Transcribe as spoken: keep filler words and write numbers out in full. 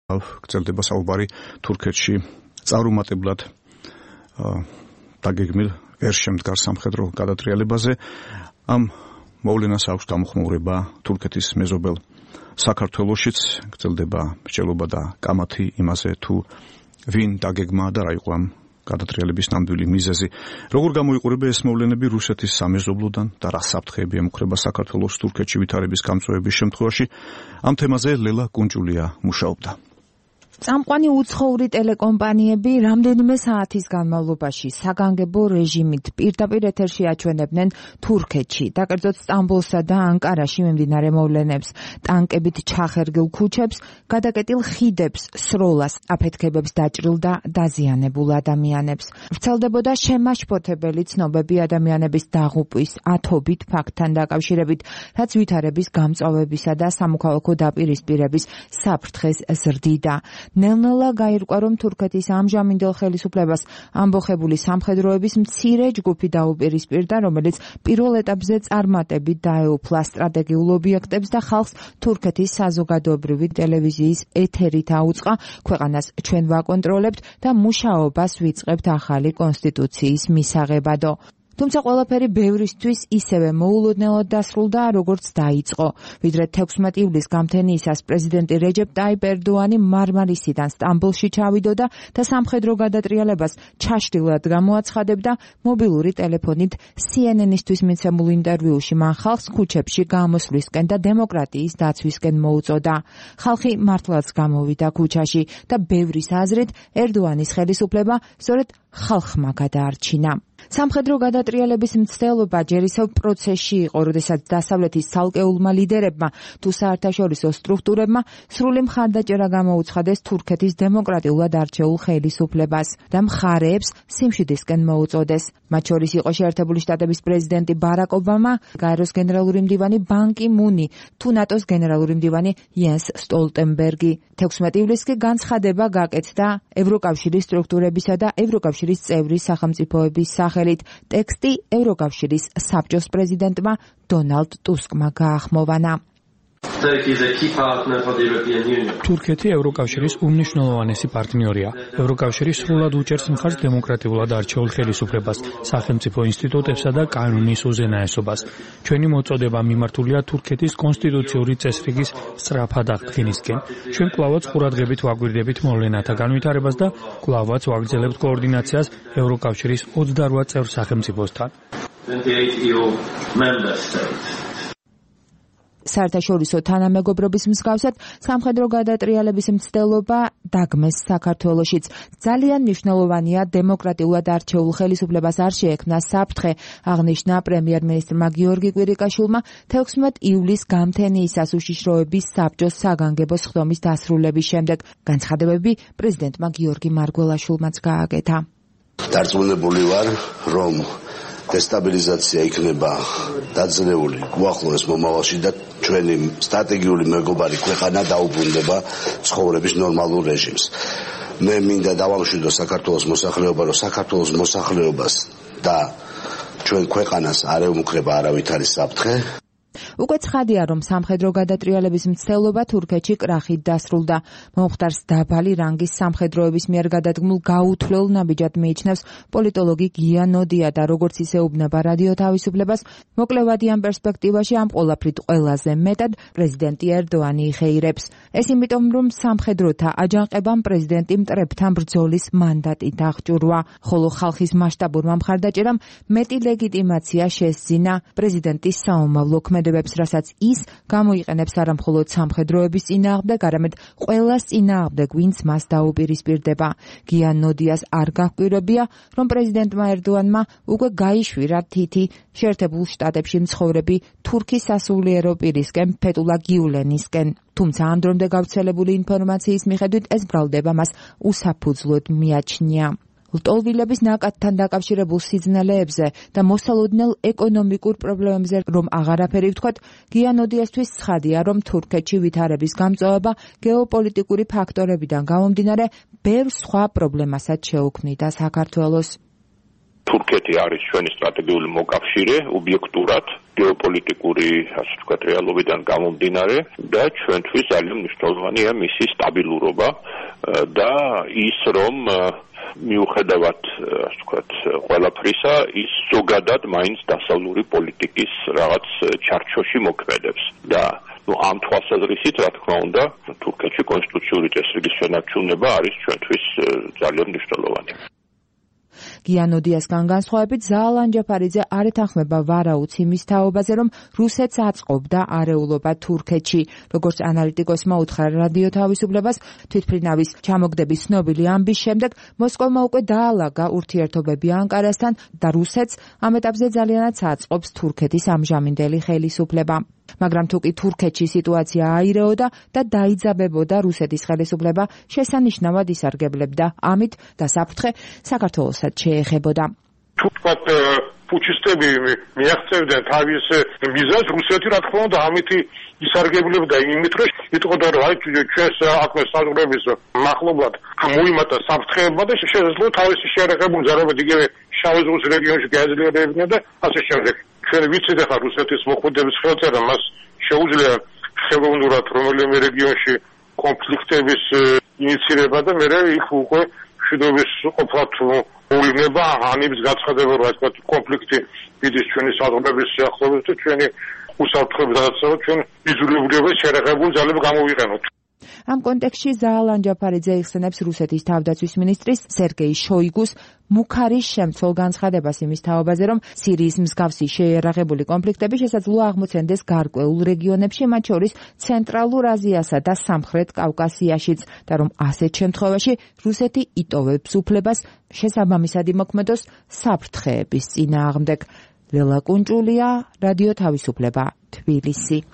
გრძელდება საუბარი თურქეთში წარუმატებლად დაგეგმილ ვერ შემდგარ სამხედრო გადატრიალებაზე. ამ მოვლენას აქვს გამოხმაურება თურქეთის მეზობელ საქართველოშიც, გრძელდება მსჯელობა და კამათი იმაზე თუ ვინ დაგეგმა და რა იყო ამ გადატრიალების ნამდვილი მიზეზი. როგორ გამოიყურება ეს მოვლენები რუსეთის სამეზობლოდან და რა საფრთხეები ემუქრება საქართველოს თურქეთში ვითარების გამწვევების შემთხვევაში? ამ თემაზე ლელა კუნჭულია მუშაობდა. წამყვანი უცხოური ტელეკომპანიები რამდენიმე საათის განმავლობაში საგანგებო რეჟიმით პირდაპირ ეთერში აჩვენებდნენ თურქეთში, დაკერძოდ სტამბოლსა და ანკარაში მიმდინარე მოვლენებს, ტანკებით ჩახერგილ ქუჩებს, გადაკეტილ ხიდებს, სროლას, აფეთქებებს დაჭრილ და დაზიანებულ ადამიანებს. ვრცელდებოდა შემაშფოთებელი ცნობები ადამიანების დაღუპვის, ათობით ფაქტთან დაკავშირებით, რაც ვითარების გამწვავებისა და სამოქალაქო დაპირისპირების საფრთხეს ზრდიდა. ნელ-ნელა გაირკვა, რომ თურქეთის ამჟამინდელ ხელისუფლებას ამბოხებული სამხედროების მცირე ჯგუფი დაუპირისპირდა, რომელიც პირველ ეტაპზე წარმატებით დაეუფლა სტრატეგიულ ობიექტებს და ხალხს თურქეთის საზოგადოებრივი ტელევიზიის ეთერით აუწყა, ქვეყანას ჩვენ ვაკონტროლებთ და მუშაობას ვიწყებთ ახალი კონსტიტუციის მისაღებადო. თუმცა ყველაფერი ბევრისთვის ისევე მოულოდნელად დასრულდა, როგორც დაიწყო. ვიდრე თექვსმეტი ივლისს გამთენიისას პრეზიდენტი რეჯეპ ტაიპ ერდოანი მარმარისიდან სტამბოლში ჩავიდოდა და სამხედრო გადატრიალებას ჩაშლილად გამოაცხადებდა. მობილური ტელეფონით სი ენ ენ-ისთვის მიცემულ ინტერვიუში მან ხალხს ქუჩებში გამოსვლისკენ და დემოკრატიის დაცვისკენ მოუწოდა. ხალხი მართლაც გამოვიდა ქუჩაში და ბევრის აზრით ერდოანის ხელისუფლება სწორედ ხალხმა გადაარჩინა. სამხედრო გადატრიალების მცდელობა ჯერ ისევ პროცესში იყო, როდესაც დასავლეთის ცალკეულმა ლიდერებმა თუ საერთაშორისო სტრუქტურებმა სრული მხარდაჭერა გამოუცხადეს თურქეთის დემოკრატიულად არჩეულ ხელისუფლებას და მხარეებს სიმშვიდისკენ მოუწოდეს. მათ შორის იყო შეერთებული შტატების პრეზიდენტი ბარაკ ობამა, გაეროს გენერალური მდივანი ბან კი მუნი თუ ნატოს გენერალური მდივანი იენს სტოლტენბერგი. თექვსმეტი ივლისს კი განცხადება გაკეთდა ევროკავშირის სტრუქტურებისა და ევროკავშირის წევრი სახელმწიფოების სახელით. ტექსტი ევროკავშირის საბჭოს პრეზიდენტმა დონალდ ტუსკმა გაახმოვანა. თურქეთი ევროკავშირის უმნიშვნელოვანესი პარტნიორია. ევროკავშირი სრულად უჭერს მხარს დემოკრატიულად არჩეულ ხელისუფლებას, სახელმწიფო ინსტიტუტებსა და კანონის უზენაესობას. ჩვენი მოწოდება მიმართულია თურქეთის კონსტიტუციური წესრიგის სწრაფად აღდგენისკენ. ჩვენ კვლავაც ყურადღებით ვაგვირდებით მოვლენათა განვითარებას და კვლავაც ვაგრძელებთ კოორდინაციას ევროკავშირის ოცდარვა წევრ სახელმწიფოსთან. საერთაშორისო თანამეგობრობის მსგავსად სამხედრო გადატრიალების მცდელობა დაგმეს საქართველოშიც. ძალიან მნიშვნელოვანია დემოკრატიულად არჩეულ ხელისუფლებას არ შეექმნა საფრთხე, აღნიშნა პრემიერ-მინისტრმა გიორგი კვირიკაშვილმა თექვსმეტი ივლისს გამთენიისას უშიშროების საბჭოს საგანგებო სხდომის დასრულების შემდეგ. განცხადებები პრეზიდენტმა გიორგი მარგველაშვილმაც გააკეთა. დარწმუნებული ვარ, რომ დესტაბილიზაცია იქნება დაძლეული უახლოეს მომავალში და ჩვენი სტრატეგიული მეგობარი ქვეყანა დაუბრუნდება ცხოვრების ნორმალურ რეჟიმს. მე მინდა დავამშვიდო საქართველოს მოსახლეობა, რომ საქართველოს მოსახლეობას და ჩვენ ქვეყანას არ ემუქრება არავითარი საფრთხე. უკვე ცხადია, რომ სამხედრო გადატრიალების მცდელობა თურქეთში კრახით დასრულდა. მომხდარს დაბალი რანგის სამხედროების მიერ გადადგმულ გაუთვლელ ნაბიჯად მიიჩნევს პოლიტოლოგი გია ნოდია და როგორც ისეუბნება რადიო თავისუფლებას, მოკლევადი ამ პერსპექტივაში ამ ყველაფრით ყველაზე მეტად პრეზიდენტი ერდოანი იხეირებს. ეს იმიტომ, რომ სამხედროთა აჯანყებამ პრეზიდენტი მტრებთან ბრძოლის მანდატით აღჭურვა, ხოლო ხალხის მასშტაბურმა მხარდაჭერამ მეტი ლეგიტიმაცია შესძინა პრეზიდენტის საომავლო ქმედებებს, რასაც ის გამოიყენებს არამხოლოდ სამხედროების წინააღმდეგ, არამედ ყველას წინააღმდეგ, ვინც მას დაუპირისპირდება. გია ნოდიას არ გაჰკვირებია, რომ პრეზიდენტმა ერდოანმა უკვე გაიშვირა თითი შეერთებულ შტატებში მცხოვრები თურქი სასულიერო პირისკენ ფეტულა გიულენისკენ. თუმცა ამ დრომდე გავრცელებული ინფორმაციის მიხედვით ეს ბრალდება მას უსაფუძვლოდ მიაჩნია. ლტოლვილების ნაკადთან დაკავშირებულ სიძნელეებზე და მოსალოდნელ ეკონომიკურ პრობლემებზე რომ აღარაფერი ვთქვათ, გია ნოდიასთვის ცხადია, რომ თურქეთში ვითარების გამწვავება გეოპოლიტიკური ფაქტორებიდან გამომდინარე ბევრ სხვა პრობლემასაც შეუქმნიდა საქართველოს. თურქეთი არის ჩვენი სტრატეგიული მოკავშირე ობიექტურად გეოპოლიტიკური, ასე ვთქვათ, რეალობიდან გამომდინარე და ჩვენთვის ძალიან მნიშვნელოვანია მისი სტაბილურობა და ის რომ მიუხედავად, ასე ვთქვათ, ყველაფრისა, ის ზოგადად მაინც დასავლური პოლიტიკის რაღაც ჩარჩოში მოქმედებს და ну ამ თვალსაზრისით, რა თქმა უნდა, თურქეთში კონსტიტუციური წესრიგის შენარჩუნება არის ჩვენთვის ძალიან მნიშვნელოვანი. გიანოდიასგან განსხვავებით, ზაალან ჯაფარიძე არ ეთანხმება ვარაუდს იმის თაობაზე, რომ რუსეთს აწყობდა არეულობა თურქეთში. როგორც ანალიტიკოსმა უთხრა რადიო თავისუფლებას, თვითმფრინავის ჩამოგდების ცნობილი ამბის შემდეგ მოსკოვმა უკვე დაალაგა ურთიერთობები ანკარასთან და რუსეთს ამ ეტაპზე ძალიანაც აწყობს თურქეთის ამჟამინდელი ხელისუფლება. მაგრამ თუ კი თურქეთში სიტუაცია აირეოდა და დაიძაბებოდა რუსეთის ხელისუფლება, შესანიშნავად ისარგებლებდა ამით და საფრთხე საქართველოსაც შეეხებოდა. თურქეთ პუჩისტები მიაღწევდნენ თავის მიზანს, რუსეთი რა თქმა უნდა ამით ისარგებლებდა იმით, რომ იტყოდა რომ აი ჩვენს აკვე საზღვრების მახლობლად მოიმატა საფრთხეებმა და შეეძლო თავისი შეერაღებული ძალებით იგივე შავი ზღვის რეგიონში გაეძლიერებინა და ასე შემდეგ. ჩვენ ვიცით ახლა რუსეთის მოქმედების ხელწერა მას შეუძლია ხელოვნურად რომელიმე რეგიონში კონფლიქტების ინიცირება და მერე იქ უკვე მშვიდობის ყოფნა მოვლენა ანიბის გაცხადება რა თქმა უნდა კონფლიქტი მიდის ჩვენი საზღვრების სიახლოვეს და ჩვენი უსაფრთხოების გადაცემა ჩვენ იზოლირებული შეერაღებული ძალები გამოვიყენოთ. ამ კონტექსტში ზაალან ჯაფარიძე იხსენებს რუსეთის თავდაცვის მინისტრის სერგეი შოიგუს მუქარის შემცველ განცხადებას იმის თაობაზე, რომ სირიის მსგავსი შეიარაღებული კონფლიქტები შესაძლოა აღმოცენდეს გარკვეულ რეგიონებში, მათ შორის ცენტრალურ აზიასა და სამხრეთ კავკასიაშიც, და რომ ასეთ შემთხვევაში რუსეთი იტოვებს უფლებას შესაბამისად იმოქმედოს საფრთხეების წინააღმდეგ. ლელა კუნჭულია, რადიო თავისუფლება, თბილისი.